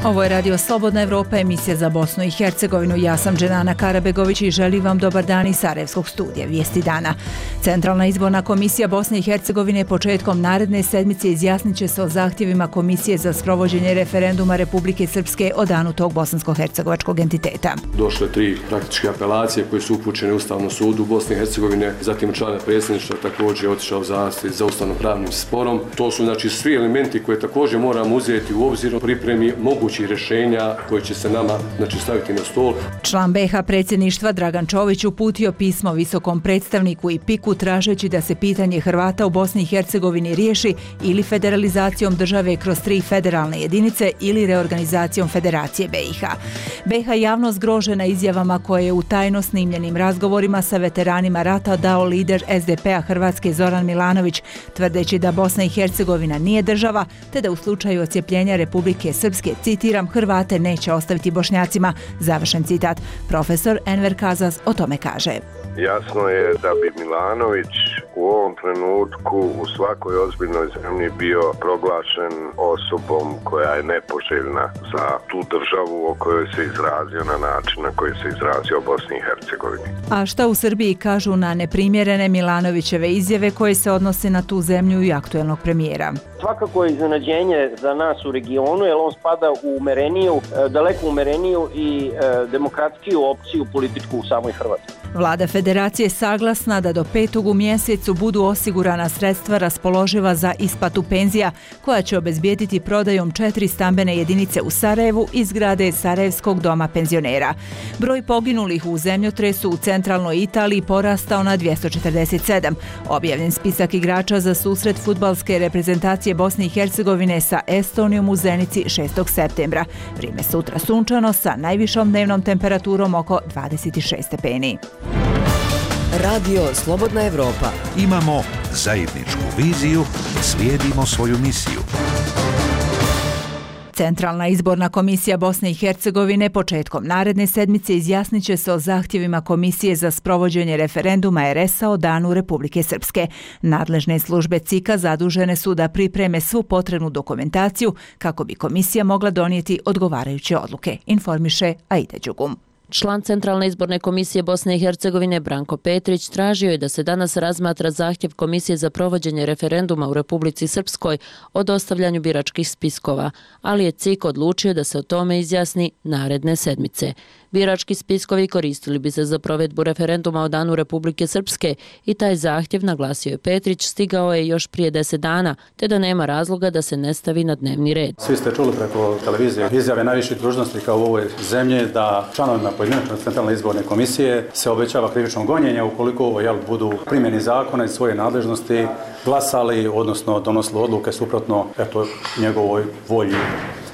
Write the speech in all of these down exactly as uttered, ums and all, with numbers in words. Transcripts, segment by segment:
Ovo je Radio Slobodna Evropa, emisija za Bosnu i Hercegovinu. Ja sam Dženana Karabegović i želim vam dobar dan iz Sarajevskog studija. Vijesti dana. Centralna izborna komisija Bosne i Hercegovine početkom naredne sedmice izjasnit će se o zahtjevima Komisije za sprovođenje referenduma Republike Srpske o danu tog bosansko-hercegovačkog entiteta. Došle tri praktičke apelacije koje su upućene Ustavnom sudu Bosne i Hercegovine, zatim člana predsjedništva također je otišao zahtjev za ustavno-pravnim sporom. To su znači svi elementi koje također moramo uzeti u obzir u pripremi mogućih rješenja koje će se nama znači, staviti na stol. Član B H predsjedništva Dragan Čović uputio pismo visokom predstavniku i piku tražeći da se pitanje Hrvata u Bosni i Hercegovini riješi ili federalizacijom države kroz tri federalne jedinice ili reorganizacijom Federacije B i H. B H javno zgrožena izjavama koje je u tajno snimljenim razgovorima sa veteranima rata dao lider S D P-a Hrvatske Zoran Milanović, tvrdeći da Bosna i Hercegovina nije država, te da u slučaju odcjepljenja Republike Srpske, citiram, Hrvate neće ostaviti Bošnjacima. Završen citat. Profesor Enver Kazas o tome kaže. Jasno je da bi Milanović u ovom trenutku u svakoj ozbiljnoj zemlji bio proglašen osobom koja je nepoželjna za tu državu o kojoj se izrazio na način na koji se izrazio o Bosni i Hercegovini. A šta u Srbiji kažu na neprimjerene Milanovićeve izjave koje se odnose na tu zemlju i aktuelnog premijera? Svakako je iznenađenje za nas u regionu, jer on spada u umereniju, daleko umereniju i demokratskiju opciju političku u samoj Hrvatskoj. Vlada Federacije saglasna da do petog u mjesecu budu osigurana sredstva raspoloživa za isplatu penzija, koja će obezbijediti prodajom četiri stambene jedinice u Sarajevu iz zgrade Sarajevskog doma penzionera. Broj poginulih u zemljotresu u centralnoj Italiji porastao na dvjesto četrdeset sedam. Objavljen spisak igrača za susret fudbalske reprezentacije Bosne i Hercegovine sa Estonijom u Zenici šestog septembra. Vrijeme sutra sunčano sa najvišom dnevnom temperaturom oko dvadeset šest stepeni. Radio Slobodna Evropa. Imamo zajedničku viziju, slijedimo svoju misiju. Centralna izborna komisija Bosne i Hercegovine početkom naredne sedmice izjasnit će se o zahtjevima Komisije za sprovođenje referenduma R S-a o danu Republike Srpske. Nadležne službe C I K-a zadužene su da pripreme svu potrebnu dokumentaciju kako bi komisija mogla donijeti odgovarajuće odluke, informiše Aida Đugum. Član Centralne izborne komisije Bosne i Hercegovine Branko Petrić tražio je da se danas razmatra zahtjev Komisije za provođenje referenduma u Republici Srpskoj o dostavljanju biračkih spiskova, ali je C I K odlučio da se o tome izjasni naredne sedmice. Birački spiskovi koristili bi se za provedbu referenduma o danu Republike Srpske i taj zahtjev, naglasio je Petrić, stigao je još prije deset dana, te da nema razloga da se ne stavi na dnevni red. Svi ste čuli preko televizije izjave najviših dužnosnika u ovoj zemlji da članovima pojedinačne Centralne izborne komisije se obećava krivično gonjenje ukoliko jel, budu primjeni zakona i svoje nadležnosti glasali, odnosno donosili odluke suprotno eto, njegovoj volji,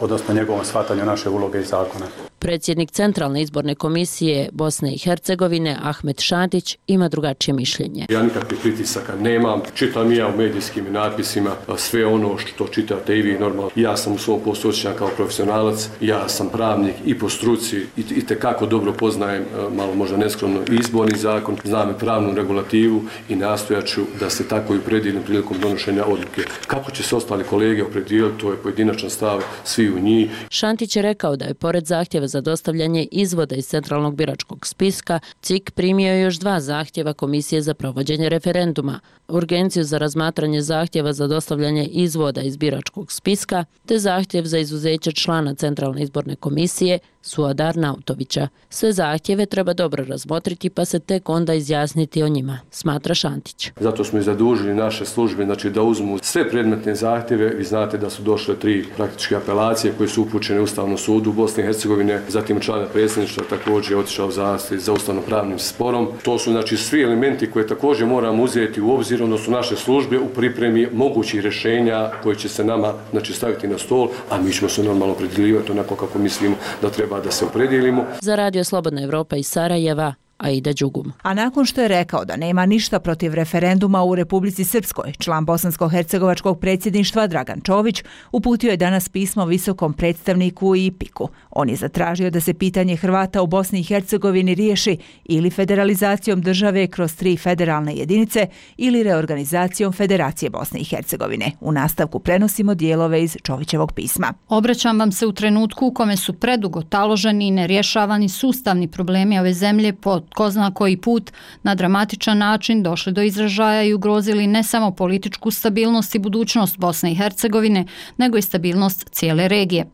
odnosno njegovom shvatanju naše uloge i zakona. Predsjednik Centralne izborne komisije Bosne i Hercegovine Ahmet Šantić ima drugačije mišljenje. Ja nikakvih pritisaka nemam, čitam ja u medijskim natpisima sve ono što čitate i vi normalno. Ja sam u svom poslu osjećan kao profesionalac, ja sam pravnik i po struci i, i tekako dobro poznajem, malo možda neskromno, izborni zakon, znam i pravnu regulativu i nastojaću da se tako i opredijelim prilikom donošenja odluke. Kako će se ostali kolege opredijeliti, to je pojedinačan stav svi u njih. Šantić je rekao da je pored zahtjeva za dostavljanje izvoda iz centralnog biračkog spiska, C I K primio još dva zahtjeva Komisije za provođenje referenduma, urgenciju za razmatranje zahtjeva za dostavljanje izvoda iz biračkog spiska, te zahtjev za izuzeće člana Centralne izborne komisije Suadar Nautovića. Sve zahtjeve treba dobro razmotriti pa se tek onda izjasniti o njima, smatra Šantić. Zato smo i zadužili naše službe znači, da uzmu sve predmetne zahtjeve. Vi znate da su došle tri praktičke apelacije koje su upućene Ustavnom sudu Bosne i Hercegovine, zatim člana predsjedništva također je otišao zahtjev za ustavno-pravnim sporom. To su znači, svi elementi koje također moramo uzeti u obzir, odnosno naše službe u pripremi mogućih rješenja koje će se nama znači, staviti na stol, a mi ćemo se normalno opredjeljivati onako kako mislimo da treba da se opredijelimo. Za Radio Slobodna Evropa iz Sarajeva, Aida Đugum. A nakon što je rekao da nema ništa protiv referenduma u Republici Srpskoj, član bosansko-hercegovačkog predsjedništva Dragan Čović uputio je danas pismo visokom predstavniku i piku. On je zatražio da se pitanje Hrvata u Bosni i Hercegovini riješi ili federalizacijom države kroz tri federalne jedinice ili reorganizacijom Federacije Bosne i Hercegovine. U nastavku prenosimo dijelove iz Čovićevog pisma. Obraćam vam se u trenutku u kome su predugo taloženi i nerješavani sustavni problemi ove zemlje po ko zna koji put na dramatičan način došli do izražaja i ugrozili ne samo političku stabilnost i budućnost Bosne i Hercegovine, nego i stabilnost cijele regije.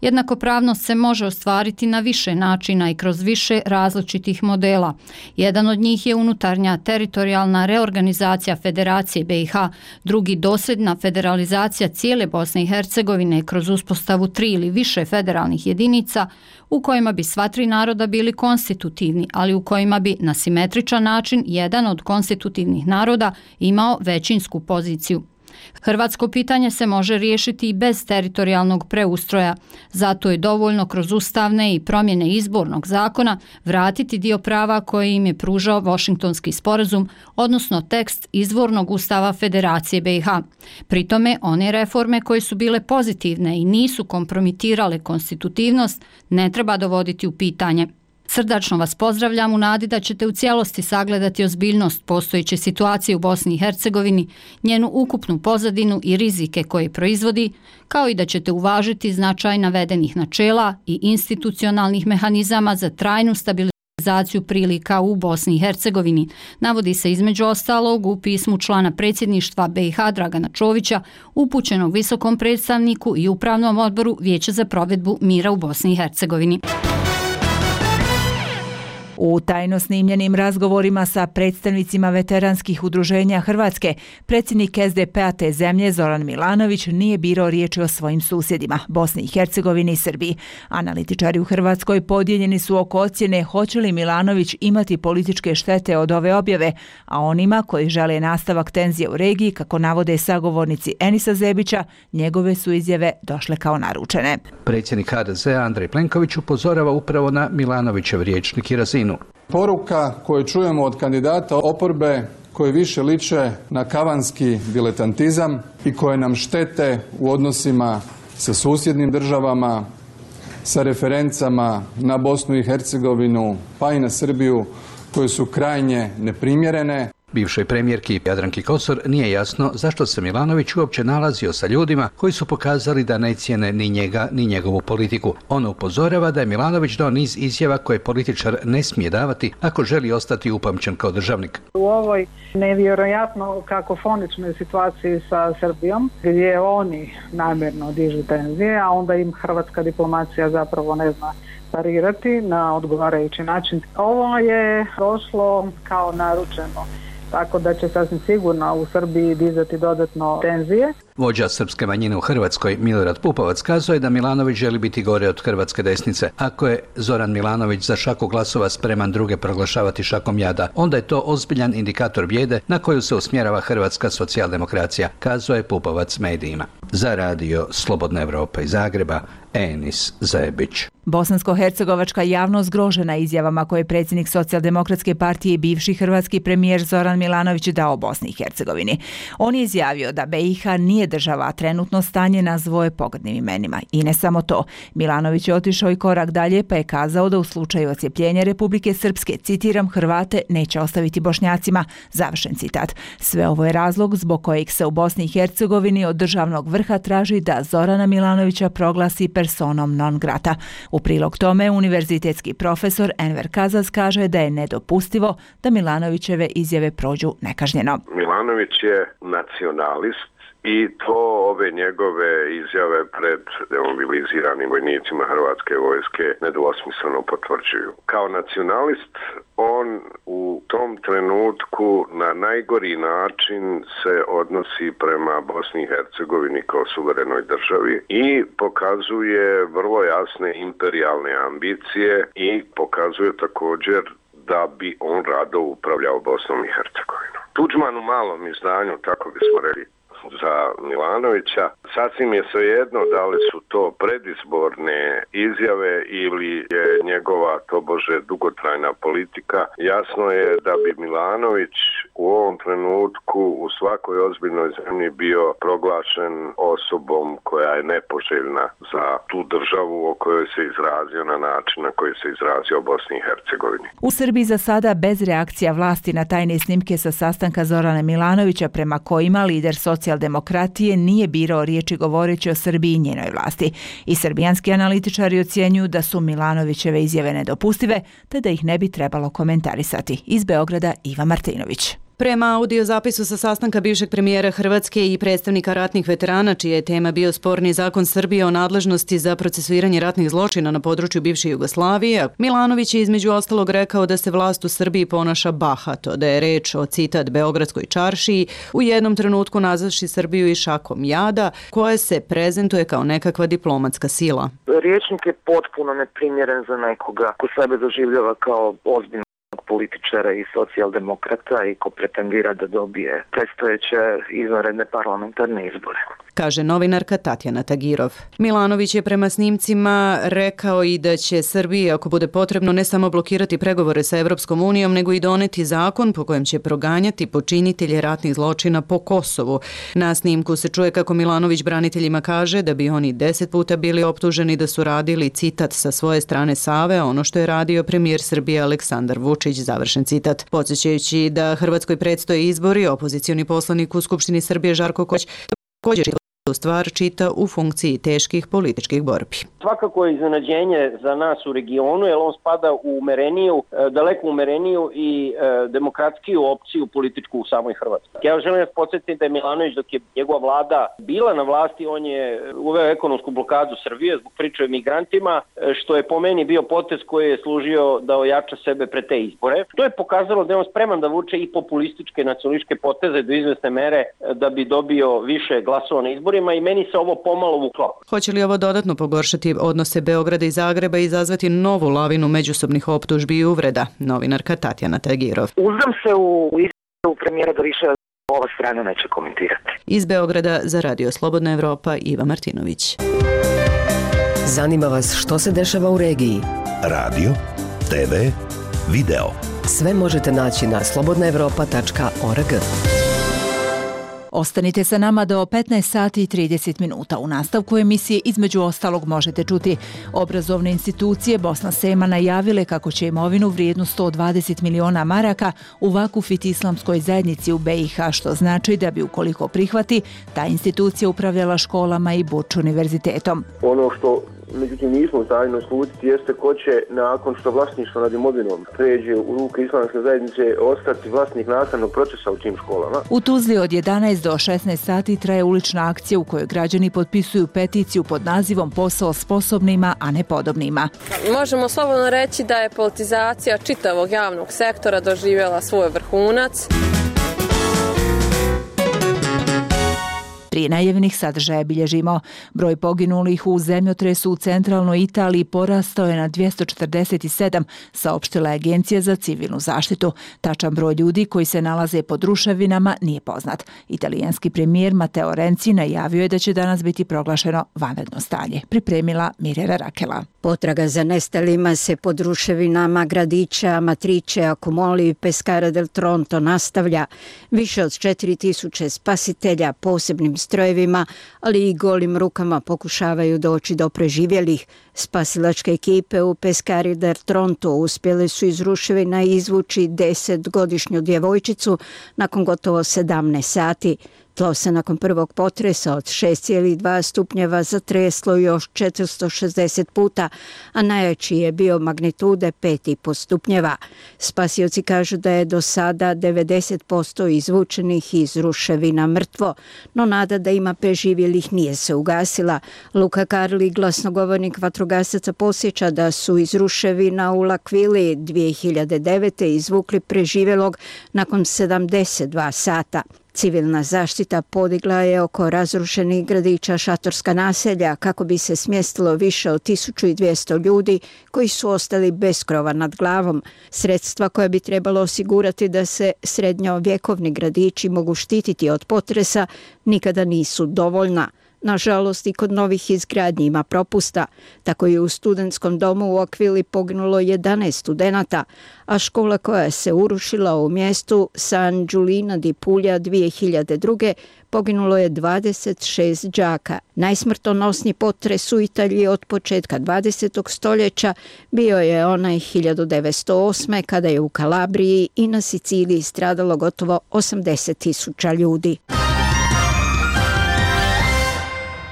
Jednakopravnost se može ostvariti na više načina i kroz više različitih modela. Jedan od njih je unutarnja teritorijalna reorganizacija Federacije B i H, drugi dosljedna federalizacija cijele Bosne i Hercegovine kroz uspostavu tri ili više federalnih jedinica u kojima bi sva tri naroda bili konstitutivni, ali u kojima bi na simetričan način jedan od konstitutivnih naroda imao većinsku poziciju. Hrvatsko pitanje se može riješiti i bez teritorijalnog preustroja, zato je dovoljno kroz ustavne i promjene izbornog zakona vratiti dio prava koje im je pružao Washingtonski sporazum, odnosno tekst izvornog ustava Federacije B i H. Pri tome, one reforme koje su bile pozitivne i nisu kompromitirale konstitutivnost ne treba dovoditi u pitanje. Srdačno vas pozdravljam u nadi da ćete u cijelosti sagledati ozbiljnost postojeće situacije u Bosni i Hercegovini, njenu ukupnu pozadinu i rizike koje proizvodi, kao i da ćete uvažiti značaj navedenih načela i institucionalnih mehanizama za trajnu stabilizaciju prilika u Bosni i Hercegovini, navodi se između ostalog u pismu člana predsjedništva B i H Dragana Čovića upućenog visokom predstavniku i upravnom odboru Vijeća za provedbu mira u Bosni i Hercegovini. U tajno snimljenim razgovorima sa predstavnicima veteranskih udruženja Hrvatske, predsjednik S D P-a te zemlje Zoran Milanović nije birao riječi o svojim susjedima, Bosni i Hercegovini i Srbiji. Analitičari u Hrvatskoj podijeljeni su oko ocjene hoće li Milanović imati političke štete od ove objave, a onima koji žele nastavak tenzije u regiji, kako navode sagovornici Enisa Zebića, njegove su izjave došle kao naručene. Predsjednik H D Z-a Andrej Plenković upozorava upravo na Milanovićev rječnik i razinu. Poruka koju čujemo od kandidata oporbe koji više liče na kavanski diletantizam i koje nam štete u odnosima sa susjednim državama, sa referencama na Bosnu i Hercegovinu pa i na Srbiju, koje su krajnje neprimjerene. Bivšoj premijerki Jadranki Kosor nije jasno zašto se Milanović uopće nalazio sa ljudima koji su pokazali da ne cijene ni njega ni njegovu politiku. Ono upozorava da je Milanović dao niz izjava koje političar ne smije davati ako želi ostati upamćen kao državnik. U ovoj nevjerojatno kakofoničnoj situaciji sa Srbijom, gdje oni namjerno dižu tenzije, a onda im hrvatska diplomacija zapravo ne zna parirati na odgovarajući način. Ovo je došlo kao naručeno, tako da će sasvim sigurno u Srbiji dizati dodatno tenzije. Vođa srpske manjine u Hrvatskoj Milorad Pupovac kazuje da Milanović želi biti gore od hrvatske desnice. Ako je Zoran Milanović za šaku glasova spreman druge proglašavati šakom jada, onda je to ozbiljan indikator bijede na koju se usmjerava hrvatska socijaldemokracija, kazuje Pupovac medijima. Za radio Slobodna Evropa iz Zagreba, Enis Zebić. Bosansko-hercegovačka javnost zgrožena izjavama koje je predsjednik Socijaldemokratske partije i bivši hrvatski premijer Zoran Milanović dao Bosni i Hercegovini. On je izjavio da B i H nije država, a trenutno stanje nazvoje pogrdnim imenima. I ne samo to. Milanović je otišao i korak dalje pa je kazao da u slučaju odcjepljenja Republike Srpske, citiram, Hrvate neće ostaviti Bošnjacima. Završen citat. Sve ovo je razlog zbog kojeg se u Bosni i Hercegovini od državnog vrha traži da Zorana Milanovića proglasi personom non grata. U prilog tome, univerzitetski profesor Enver Kazaz kaže da je nedopustivo da Milanovićeve izjave prođu nekažnjeno. Milanović je nacionalist i to ove njegove izjave pred demobiliziranim vojnicima Hrvatske vojske nedvosmisleno potvrđuju. Kao nacionalist on u tom trenutku na najgori način se odnosi prema Bosni i Hercegovini kao suverenoj državi i pokazuje vrlo jasne imperijalne ambicije i pokazuje također da bi on rado upravljao Bosnom i Hercegovinom. Tuđman u malom izdanju, tako bismo rekli, za Milanovića. Sasvim je svejedno da li su to predizborne izjave ili je njegova tobože dugotrajna politika. Jasno je da bi Milanović u ovom trenutku u svakoj ozbiljnoj zemlji bio proglašen osobom koja je nepoželjna za tu državu o kojoj se izrazio na način na koji se izrazio o Bosni i Hercegovini. U Srbiji za sada bez reakcija vlasti na tajne snimke sa sastanka Zorana Milanovića prema kojima lider socijaldemokratije nije birao riječi govoreći o Srbiji i njenoj vlasti. I srbijanski analitičari ocjenjuju da su Milanovićeve izjave nedopustive, te da ih ne bi trebalo komentarisati. Iz Beograda Iva Martinović. Prema audio zapisu sa sastanka bivšeg premijera Hrvatske i predstavnika ratnih veterana, čija je tema bio sporni zakon Srbije o nadležnosti za procesuiranje ratnih zločina na području bivše Jugoslavije, Milanović je između ostalog rekao da se vlast u Srbiji ponaša bahato, da je reč o, citat, beogradskoj čaršiji, u jednom trenutku nazavši Srbiju i šakom jada, koja se prezentuje kao nekakva diplomatska sila. Riječnik je potpuno neprimjeren za nekoga ko sebe doživljava kao ozbiljno političara i socijaldemokrata i ko pretendira da dobije predstojeće izvanredne parlamentarne izbore. Kaže novinarka Tatjana Tagirov. Milanović je prema snimcima rekao i da će Srbiji, ako bude potrebno, ne samo blokirati pregovore sa Evropskom unijom, nego i doneti zakon po kojem će proganjati počinitelje ratnih zločina po Kosovu. Na snimku se čuje kako Milanović braniteljima kaže da bi oni deset puta bili optuženi da su radili, citat, sa svoje strane Save, ono što je radio premijer Srbije Aleksandar Vučić, završen citat. Podsjećajući da Hrvatskoj predstoje izbori, opozicioni poslanik u Skupštini Srbije Žarko Koć također stvar čita u funkciji teških političkih borbi. Svakako je iznenađenje za nas u regionu, jer on spada u umereniju, daleko umereniju i e, demokratskiju opciju političku u samoj Hrvatskoj. Ja želim vas podsjetiti da je Milanović, dok je njegova vlada bila na vlasti, on je uveo ekonomsku blokadu Srbije zbog priče o migrantima, što je po meni bio potez koji je služio da ojača sebe pre te izbore. To je pokazalo da je on spreman da vuče i populističke nacionalističke poteze do izvesne mere da bi dobio više glasova na izborima, i meni se ovo pomalo vuklo. Hoće li ovo dodatno pogoršati odnose Beograda i Zagreba i izazvati novu lavinu međusobnih optužbi i uvreda? Novinarka Tatjana Tagirov. Uzdam se u izjavu premijera da više ova strana neće komentirati. Iz Beograda za Radio Slobodna Evropa Iva Martinović. Zanima vas što se dešava u regiji? Radio, te ve, video. Sve možete naći na slobodna evropa tačka org. Ostanite sa nama do petnaest sati i trideset minuta. U nastavku emisije između ostalog možete čuti obrazovne institucije Bosna Sema najavile kako će imovinu vrijednu sto dvadeset miliona maraka u vakufit islamskoj zajednici u be i ha, što znači da bi ukoliko prihvati, ta institucija upravljala školama i Burč univerzitetom. Ono što međutim nismo tajno slutiti jeste ko će nakon što vlasništvo nad imovinom pređe u ruke islamske zajednice ostati vlasnik nastavnog procesa u tim školama. U Tuzli od jedanaest do šesnaest sati traje ulična akcija u kojoj građani potpisuju peticiju pod nazivom Posao sposobnima, a ne podobnima. Možemo slobodno reći da je politizacija čitavog javnog sektora doživjela svoj vrhunac. Prije najavljenih sadržaja bilježimo. Broj poginulih u zemljotresu u centralnoj Italiji porastao je na dvjesto četrdeset sedam, saopštila je Agencija za civilnu zaštitu. Tačan broj ljudi koji se nalaze pod ruševinama nije poznat. Italijanski premijer Matteo Renzi najavio je da će danas biti proglašeno vanredno stanje. Pripremila Mirjana Rakela. Potraga za nestalima se pod ruševinama gradića Amatrice, Accumoli i Pescara del Tronto nastavlja. Više od četiri tisuće spasitelja posebnim strojevima, ali i golim rukama pokušavaju doći do preživjelih. Spasilačke ekipe u Pescari del Tronto uspjele su iz ruševina izvući desetgodišnju djevojčicu nakon gotovo sedamnaest sati. Tlo se nakon prvog potresa od šest zarez dva stupnjeva zatreslo još četiristo šezdeset puta, a najjači je bio magnitude pet zarez pet stupnjeva. Spasioci kažu da je do sada devedeset posto izvučenih iz ruševina mrtvo, no nada da ima preživjelih nije se ugasila. Luka Karli, glasnogovornik vatrogasaca, posjeća da su iz ruševina u L'Aquili dvije hiljade devete. izvukli preživjelog nakon sedamdeset dva sata. Civilna zaštita podigla je oko razrušenih gradića šatorska naselja kako bi se smjestilo više od tisuću dvjesto ljudi koji su ostali bez krova nad glavom. Sredstva koja bi trebalo osigurati da se srednjovjekovni gradići mogu štititi od potresa nikada nisu dovoljna. Nažalost, i kod novih izgradnji ima propusta. Tako je u studentskom domu u Akvili poginulo jedanaest studenata, a škola koja se urušila u mjestu San Giulino di Puglia dvije hiljade druge poginulo je dvadeset šest đaka. Najsmrtonosniji potres u Italiji od početka dvadesetog stoljeća bio je onaj hiljadu devetsto osme kada je u Kalabriji i na Siciliji stradalo gotovo osamdeset tisuća ljudi.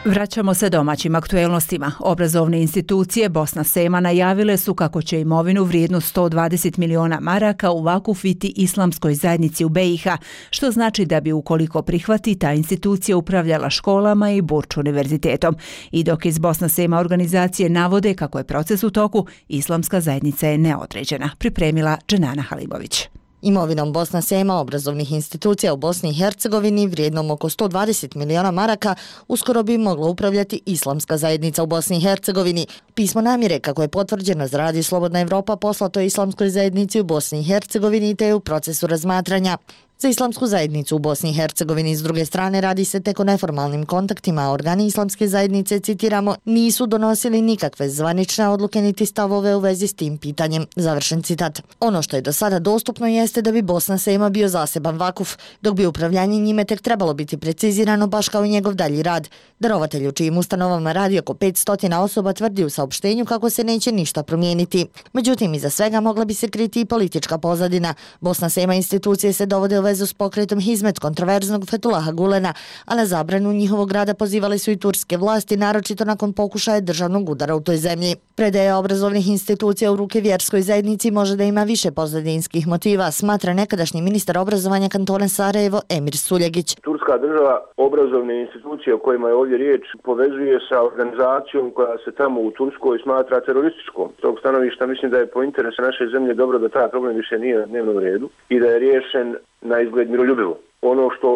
Vraćamo se domaćim aktuelnostima. Obrazovne institucije Bosna Sema najavile su kako će imovinu vrijednu sto dvadeset miliona maraka uvakufiti islamskoj zajednici u B i H, što znači da bi ukoliko prihvati ta institucija upravljala školama i Burč univerzitetom. I dok iz Bosna Sema organizacije navode kako je proces u toku, islamska zajednica je neodređena. Pripremila Dženana Halibović. Imovinom Bosna Sema obrazovnih institucija u Bosni i Hercegovini vrijednom oko sto dvadeset miliona maraka uskoro bi mogla upravljati islamska zajednica u Bosni i Hercegovini. Pismo namjere, kako je potvrđeno za Radio Slobodna Evropa, poslato je islamskoj zajednici u Bosni i Hercegovini te je u procesu razmatranja. Za islamsku zajednicu u Bosni i Hercegovini s druge strane radi se tek o neformalnim kontaktima, a organi islamske zajednice, citiramo, nisu donosili nikakve zvanične odluke niti stavove u vezi s tim pitanjem. Završen citat. Ono što je do sada dostupno jeste da bi Bosna Sema bio zaseban vakuf, dok bi upravljanje njime tek trebalo biti precizirano baš kao i njegov dalji rad. Darovatelj u čijim ustanovama radi oko petsto osoba tvrdi u saopštenju kako se neće ništa promijeniti. Međutim, iza svega mogla bi se kriti i politička pozadina. Bosna Sema institucije se dovode u vezu s pokretom Hizmet kontroverznog Fetulaha Gulena, a na zabranu njihovog rada pozivali su i turske vlasti, naročito nakon pokušaja državnog udara u toj zemlji. Predaja obrazovnih institucija u ruke vjerskoj zajednici može da ima više pozadinskih motiva, smatra nekadašnji ministar obrazovanja kantona Sarajevo Emir Suljegić. Turska država obrazovne institucije o kojima je ovdje riječ povezuje sa organizacijom koja se tamo u Turskoj smatra terorističkom. S tog stanovišta mislim da je po interesu naše zemlje dobro da taj problem više nije na dnevnom redu i da je riješen na izgled miroljubivo. Ono što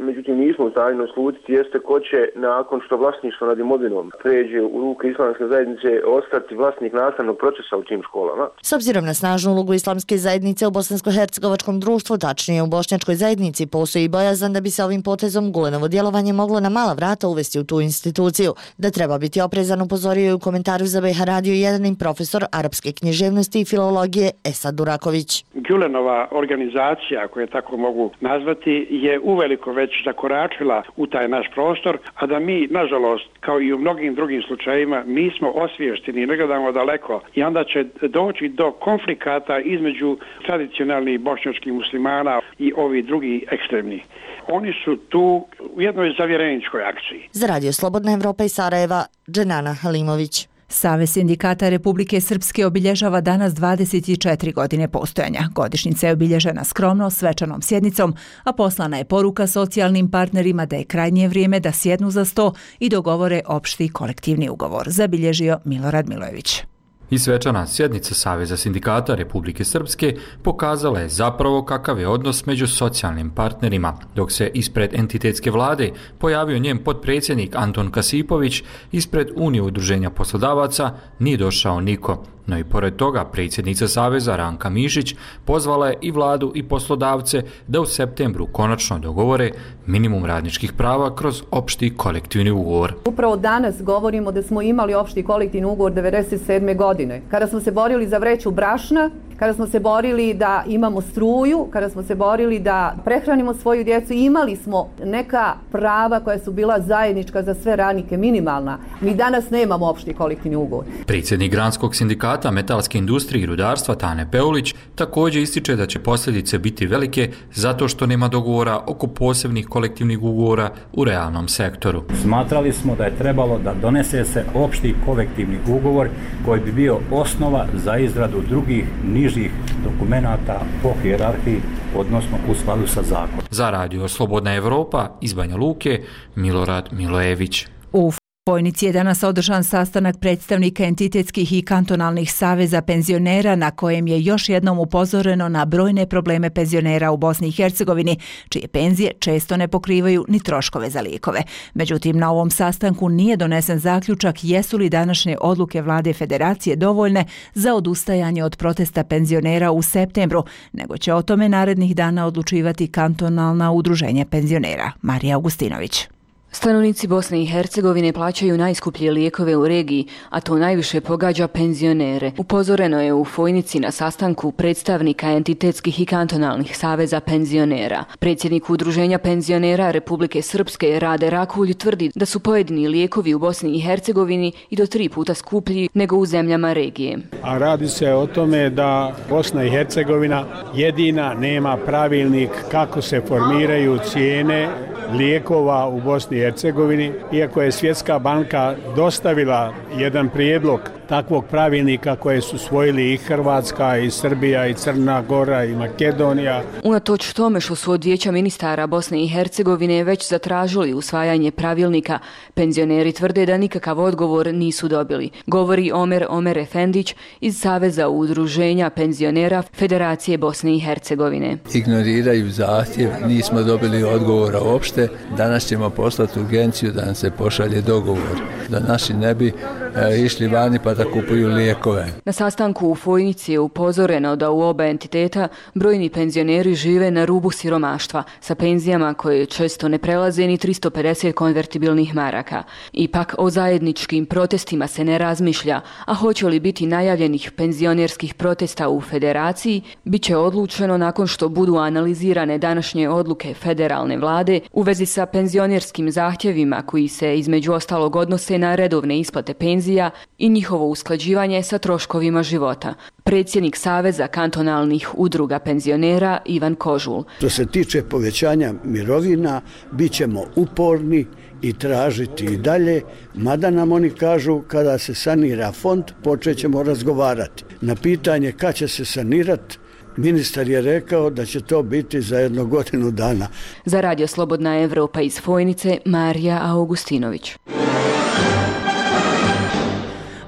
međutim nismo u stanju naslutiti jeste ko će nakon što vlasništvo nad imovinom pređe u ruke islamske zajednice ostati vlasnik nastavnog procesa u tim školama. S obzirom na snažnu ulogu islamske zajednice u bosansko-hercegovačkom društvu, tačnije u bošnjačkoj zajednici, postoji bojazan da bi se ovim potezom Gulenovo djelovanje moglo na mala vrata uvesti u tu instituciju. Da treba biti oprezan, upozorio je u komentaru za B H Radio jedan profesor arapske književnosti i filologije Esad Duraković. Gulenova organizacija, ako je tako mogu nazvati, je uveliko već zakoračila u taj naš prostor, a da mi, nažalost, kao i u mnogim drugim slučajevima, nismo osviješteni, ne gledamo daleko i onda će doći do konflikata između tradicionalnih bošnjačkih muslimana i ovi drugi ekstremni. Oni su tu u jednoj zavjereničkoj akciji. Za Radio Slobodna Evropa iz Sarajeva, Dženana Halimović. Savez sindikata Republike Srpske obilježava danas dvadeset četiri godine postojanja. Godišnjica je obilježena skromno, svečanom sjednicom, a poslana je poruka socijalnim partnerima da je krajnje vrijeme da sjednu za sto i dogovore opšti kolektivni ugovor, zabilježio Milorad Milojević. I svečana sjednica Saveza sindikata Republike Srpske pokazala je zapravo kakav je odnos među socijalnim partnerima. Dok se ispred entitetske vlade pojavio njen potpredsjednik Anton Kasipović, ispred Unije udruženja poslodavaca nije došao niko. No i pored toga predsjednica Saveza Ranka Mišić pozvala je i vladu i poslodavce da u septembru konačno dogovore minimum radničkih prava kroz opšti kolektivni ugovor. Upravo danas govorimo da smo imali opšti kolektivni ugovor devedeset sedme godine, kada smo se borili za vreću brašna, kada smo se borili da imamo struju, kada smo se borili da prehranimo svoju djecu, imali smo neka prava koja su bila zajednička za sve radnike, minimalna. Mi danas nemamo opšti kolektivni ugovor. Predsjednik Granskog sindikata metalske industrije i rudarstva Tane Peulić također ističe da će posljedice biti velike zato što nema dogovora oko posebnih kolektivnih ugovora u realnom sektoru. Smatrali smo da je trebalo da donese se opšti kolektivni ugovor koji bi bio osnova za izradu drugih nižih dokumenata po hijerarhiji, odnosno u skladu sa zakonom. Za Radio Slobodna Evropa iz Banja Luke, Milorad Milojević. U Fojnici je danas održan sastanak predstavnika entitetskih i kantonalnih saveza penzionera na kojem je još jednom upozoreno na brojne probleme penzionera u Bosni i Hercegovini, čije penzije često ne pokrivaju ni troškove za lijekove. Međutim, na ovom sastanku nije donesen zaključak jesu li današnje odluke vlade federacije dovoljne za odustajanje od protesta penzionera u septembru, nego će o tome narednih dana odlučivati kantonalna udruženja penzionera. Marija Augustinović. Stanovnici Bosne i Hercegovine plaćaju najskuplje lijekove u regiji, a to najviše pogađa penzionere. Upozoreno je u Fojnici na sastanku predstavnika entitetskih i kantonalnih saveza penzionera. Predsjednik Udruženja penzionera Republike Srpske Rade Rakulj tvrdi da su pojedini lijekovi u Bosni i Hercegovini i do tri puta skuplji nego u zemljama regije. A radi se o tome da Bosna i Hercegovina jedina nema pravilnik kako se formiraju cijene lijekova u Bosni i Hercegovini, iako je Svjetska banka dostavila jedan prijedlog takvog pravilnika koje su usvojili i Hrvatska, i Srbija, i Crna Gora, i Makedonija. Unatoč tome što su od Vijeća ministara Bosne i Hercegovine već zatražili usvajanje pravilnika, penzioneri tvrde da nikakav odgovor nisu dobili. Govori Omer Omer Efendić iz Saveza udruženja penzionera Federacije Bosne i Hercegovine. Ignoriraju zahtjev, nismo dobili odgovora uopšte. Danas ćemo poslati urgenciju da nam se pošalje dogovor, da naši ne bi e, išli vani pa da kupuju lijekove. Na sastanku u Fojnici je upozoreno da u oba entiteta brojni penzioneri žive na rubu siromaštva sa penzijama koje često ne prelaze ni tristo pedeset konvertibilnih maraka. Ipak o zajedničkim protestima se ne razmišlja, a hoće li biti najavljenih penzionerskih protesta u federaciji, bit će odlučeno nakon što budu analizirane današnje odluke federalne vlade u vezi sa penzionerskim zahtjevima koji se između ostalog odnose na redovne isplate penzija i njihovo usklađivanje sa troškovima života. Predsjednik Saveza kantonalnih udruga penzionera Ivan Kožul. Što se tiče povećanja mirovina, bit ćemo uporni i tražiti i dalje, mada nam oni kažu kada se sanira fond, počet ćemo razgovarati. Na pitanje kad će se sanirati, ministar je rekao da će to biti za jednu godinu dana. Za Radio Slobodna Evropa iz Fojnice, Marija Augustinović.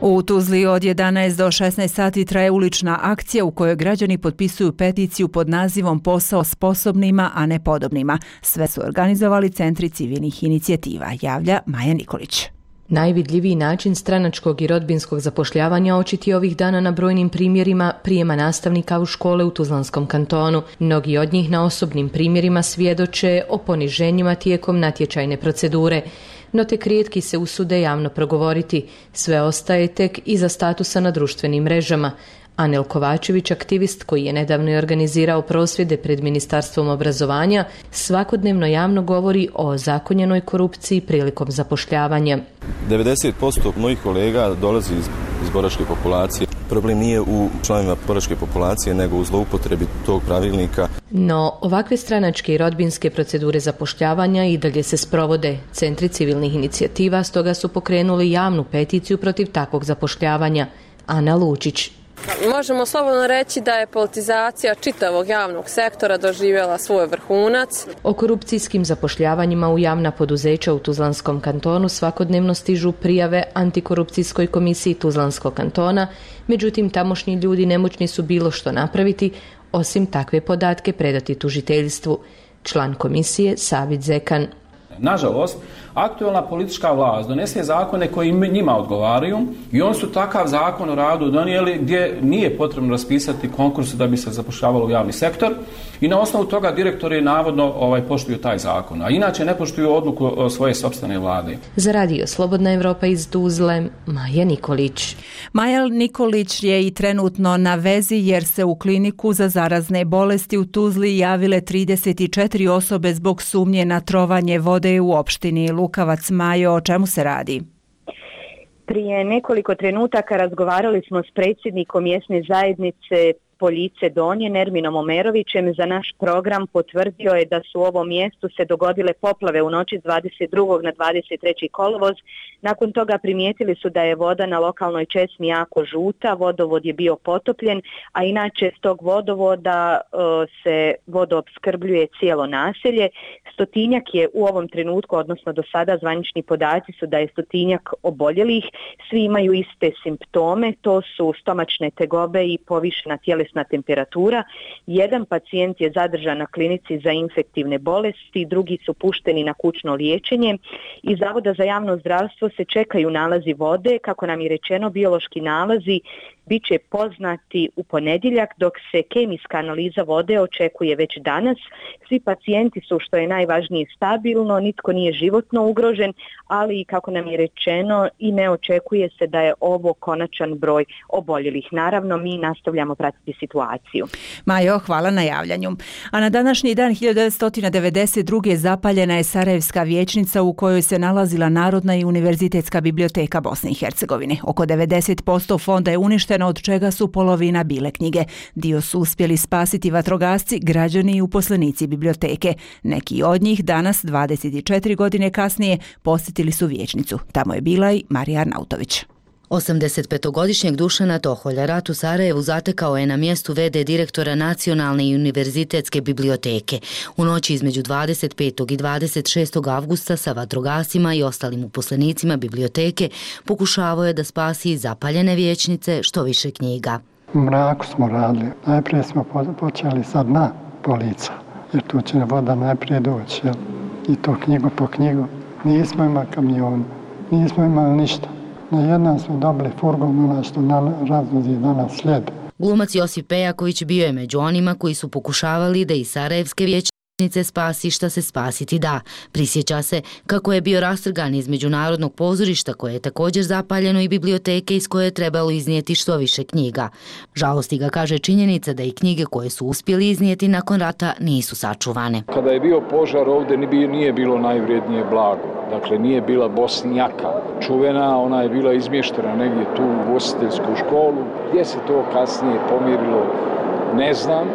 U Tuzli od jedanaest do šesnaest sati traje ulična akcija u kojoj građani potpisuju peticiju pod nazivom Posao sposobnima, a ne podobnima. Sve su organizovali centri civilnih inicijativa, javlja Maja Nikolić. Najvidljiviji način stranačkog i rodbinskog zapošljavanja očiti ovih dana na brojnim primjerima prijema nastavnika u škole u Tuzlanskom kantonu. Mnogi od njih na osobnim primjerima svjedoče o poniženjima tijekom natječajne procedure. No tek rijetki se usude javno progovoriti. Sve ostaje tek iza statusa na društvenim mrežama. Anel Kovačević, aktivist koji je nedavno organizirao prosvjede pred Ministarstvom obrazovanja, svakodnevno javno govori o zakonjenoj korupciji prilikom zapošljavanja. devedeset posto mojih kolega dolazi iz, iz boračke populacije. Problem nije u članovima boračke populacije, nego u zloupotrebi tog pravilnika. No, ovakve stranačke i rodbinske procedure zapošljavanja i dalje se sprovode. Centri civilnih inicijativa stoga su pokrenuli javnu peticiju protiv takvog zapošljavanja. Ana Lučić. Možemo slobodno reći da je politizacija čitavog javnog sektora doživjela svoj vrhunac. O korupcijskim zapošljavanjima u javna poduzeća u Tuzlanskom kantonu svakodnevno stižu prijave Antikorupcijskoj komisiji Tuzlanskog kantona, međutim tamošnji ljudi nemoćni su bilo što napraviti, osim takve podatke predati tužiteljstvu. Član komisije Savid Zekan. Nažalost, aktualna politička vlast donese zakone koji njima odgovaraju i oni su takav zakon o radu donijeli gdje nije potrebno raspisati konkurs da bi se zapošljavalo u javni sektor i na osnovu toga direktori navodno ovaj, poštuju taj zakon, a inače ne poštuju odluku svoje sopstvene vlade. Za Radio Slobodna Evropa iz Tuzle, Maja Nikolić. Maja Nikolić je i trenutno na vezi jer se u kliniku za zarazne bolesti u Tuzli javile trideset četiri osobe zbog sumnje na trovanje vode u opštini Lukavac. Majo, o čemu se radi? Prije nekoliko trenutaka razgovarali smo s predsjednikom mjesne zajednice Poljice Donje Nerminom Omerovićem za naš program potvrdio je da su u ovom mjestu se dogodile poplave u noći s dvadeset drugog na dvadeset treći kolovoz. Nakon toga primijetili su da je voda na lokalnoj česmi jako žuta, vodovod je bio potopljen, a inače s tog vodovoda e, se vodoopskrbljuje cijelo naselje. Stotinjak je u ovom trenutku, odnosno do sada zvanični podaci su da je stotinjak oboljelih, svi imaju iste simptome, to su stomačne tegobe i povišena tjelesna temperatura. Jedan pacijent je zadržan na klinici za infektivne bolesti, drugi su pušteni na kućno liječenje. Iz Zavoda za javno zdravstvo se čekaju nalazi vode, kako nam je rečeno biološki nalazi bit će poznati u ponedjeljak, dok se kemijska analiza vode očekuje već danas. Svi pacijenti su, što je najvažnije, stabilno, nitko nije životno ugrožen, ali kako nam je rečeno i ne očekuje se da je ovo konačan broj oboljelih. Naravno, mi nastavljamo pratiti situaciju. Majo, hvala na javljanju. A na današnji dan hiljadu devetsto devedeset druge zapaljena je Sarajevska vijećnica u kojoj se nalazila Narodna i univerzitetska biblioteka Bosne i Hercegovine. Oko devedeset posto fonda je uništeno, od čega su polovina bile knjige. Dio su uspjeli spasiti vatrogasci, građani i uposlenici biblioteke. Neki od njih danas, dvadeset četiri godine kasnije, posjetili su vijećnicu. Tamo je bila i Marija Arnautović. osamdesetpetogodišnjeg Dušana Toholja rat u Sarajevu zatekao je na mjestu ve de direktora Nacionalne i univerzitetske biblioteke. U noći između dvadeset petog i dvadeset šestog avgusta sa vatrogasima i ostalim uposlenicima biblioteke pokušavao je da spasi iz zapaljene vijećnice što više knjiga. U mraku smo radili. Najprije smo počeli sa dna polica, jer tu će voda najprije doći. Jel? I to knjigu po knjigu. Nismo imali kamion, nismo imali ništa. Na jednom smo dobili furgon, ona što razvozi danas slijed. Glumac Josip Pejaković bio je među onima koji su pokušavali da iz Sarajevske vijećnice spasi šta se spasiti da. Prisjeća se kako je bio rastrgan iz Međunarodnog pozorišta koje je također zapaljeno i biblioteke iz koje je trebalo iznijeti što više knjiga. Žalosti ga, kaže, činjenica da i knjige koje su uspjeli iznijeti nakon rata nisu sačuvane. Kada je bio požar ovdje nije bilo najvrijednije blago. Dakle, nije bila Bosnjaka čuvena, ona je bila izmještena negdje tu u ugostiteljsku školu. Gdje se to kasnije pomirilo, ne znam.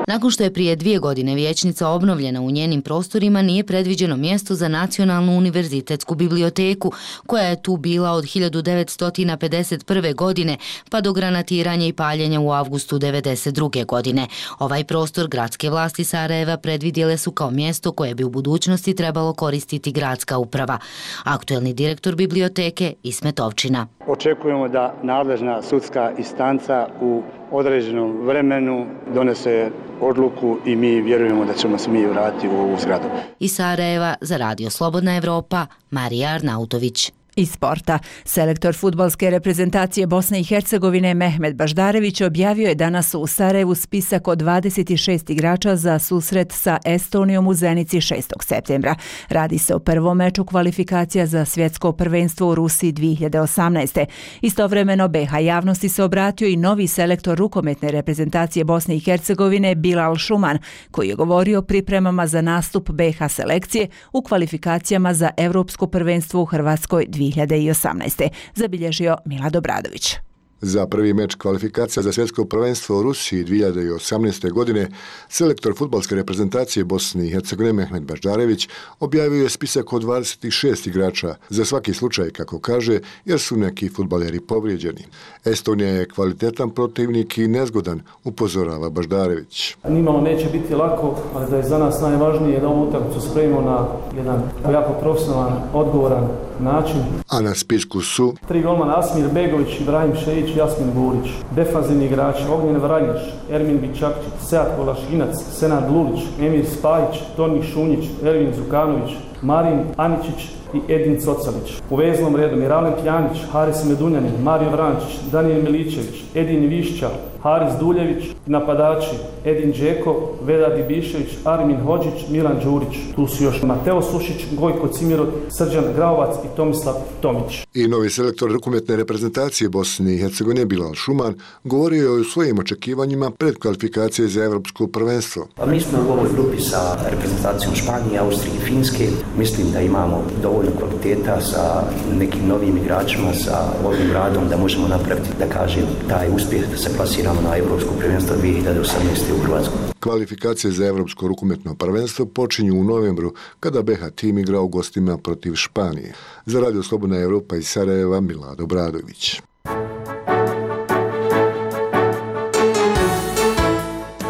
Nakon što je prije dvije godine vijećnica obnovljena u njenim prostorima, nije predviđeno mjesto za Nacionalnu univerzitetsku biblioteku, koja je tu bila od hiljadu devetsto pedeset prve. godine pa do granatiranja i paljenja u avgustu devedeset druge. godine. Ovaj prostor gradske vlasti Sarajeva predvidjele su kao mjesto koje bi u budućnosti trebalo koristiti gradska uprava. Aktuelni direktor biblioteke Ismet Ovčina. Očekujemo da nadležna sudska instanca u određenom vremenu donese odluku i mi vjerujemo da ćemo se mi vratiti u ovu zgradu. Iz Sarajeva za Radio Slobodna Evropa, Marija Arnautović. Iz sporta. Selektor fudbalske reprezentacije Bosne i Hercegovine Mehmet Baždarević objavio je danas u Sarajevu spisak od dvadeset šest igrača za susret sa Estonijom u Zenici šestog septembra. Radi se o prvom meču kvalifikacija za svjetsko prvenstvo u Rusiji dvije hiljade osamnaeste. Istovremeno be ha javnosti se obratio i novi selektor rukometne reprezentacije Bosne i Hercegovine Bilal Šuman, koji je govorio o pripremama za nastup be ha selekcije u kvalifikacijama za Evropsko prvenstvo u Hrvatskoj dvije hiljade osamnaeste. Zabilježio Milad Obradović. Za prvi meč kvalifikacija za svjetsko prvenstvo u Rusiji dvije hiljade osamnaeste. godine selektor fudbalske reprezentacije Bosne i Hercegovine Mehmet Baždarević objavio je spisak od dvadeset šest igrača za svaki slučaj, kako kaže, jer su neki fudbaleri povrijeđeni. Estonija je kvalitetan protivnik i nezgodan, upozorava Baždarević. Nimalo neće biti lako, ali da je za nas najvažnije da ovu utakmicu spremimo na jedan jako profesionalan, odgovoran način. A na spisku su tri golmana: Asmir Begović, Ibrahim Šejić, Jasmin Burić. Defanzivni igrači: Ognjen Vranješ, Ermin Bičakčić, Sead Kolašinac, Senad Lulić, Emir Spajić, Toni Šunjić, Ervin Zukanović, Marin Aničić i Edin Cocalić. U veznom redu Miralem Pjanić, Haris Medunjanin, Mario Vrančić, Daniel Miličević, Edin Višća, Haris Duljević, napadači Edin Džeko, Vedad Ibišević, Armin Hođić, Milan Đurić. Tu su još Mateo Sušić, Gojko Cimirot, Srđan Graovac i Tomislav Tomić. I novi selektor rukometne reprezentacije Bosne i Hercegovine Bilal Šuman govorio je o svojim očekivanjima pred kvalifikacije za Evropsko prvenstvo. Pa mi smo u ovoj grupi sa reprezentacijom Španije, Austrije i Finske. Mislim da imamo dovoljno kvaliteta sa nekim novim igračima, sa ovim radom da možemo napraviti, da kažem, taj uspjeh da se plasiramo na Evropsko prvenstvo dvije hiljade osamnaeste. u Hrvatskoj. Kvalifikacije za Evropsko rukometno prvenstvo počinju u novembru kada B H tim igra u gostima protiv Španije. Za Radio Slobodna Evropa iz Sarajeva, Milado Bradović.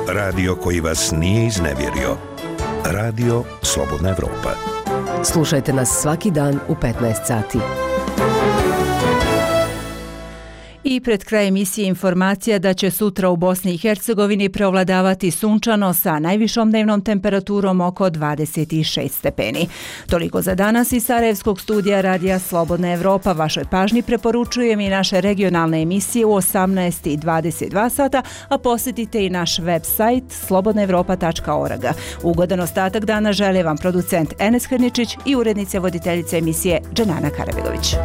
Radio koji vas nije iznevjerio. Radio Slobodna Evropa. Slušajte nas svaki dan u petnaest sati. I pred kraj emisije informacija da će sutra u Bosni i Hercegovini preovladavati sunčano sa najvišom dnevnom temperaturom oko dvadeset šest stepeni. Toliko za danas iz Sarajevskog studija Radija Slobodna Evropa. Vašoj pažnji preporučujem i naše regionalne emisije u osamnaest i dvadeset dva sata, a posjetite i naš web sajt slobodna evropa tačka org. Ugodan ostatak dana žele vam producent Enes Hrničić i urednica voditeljica emisije Dženana Karabegović.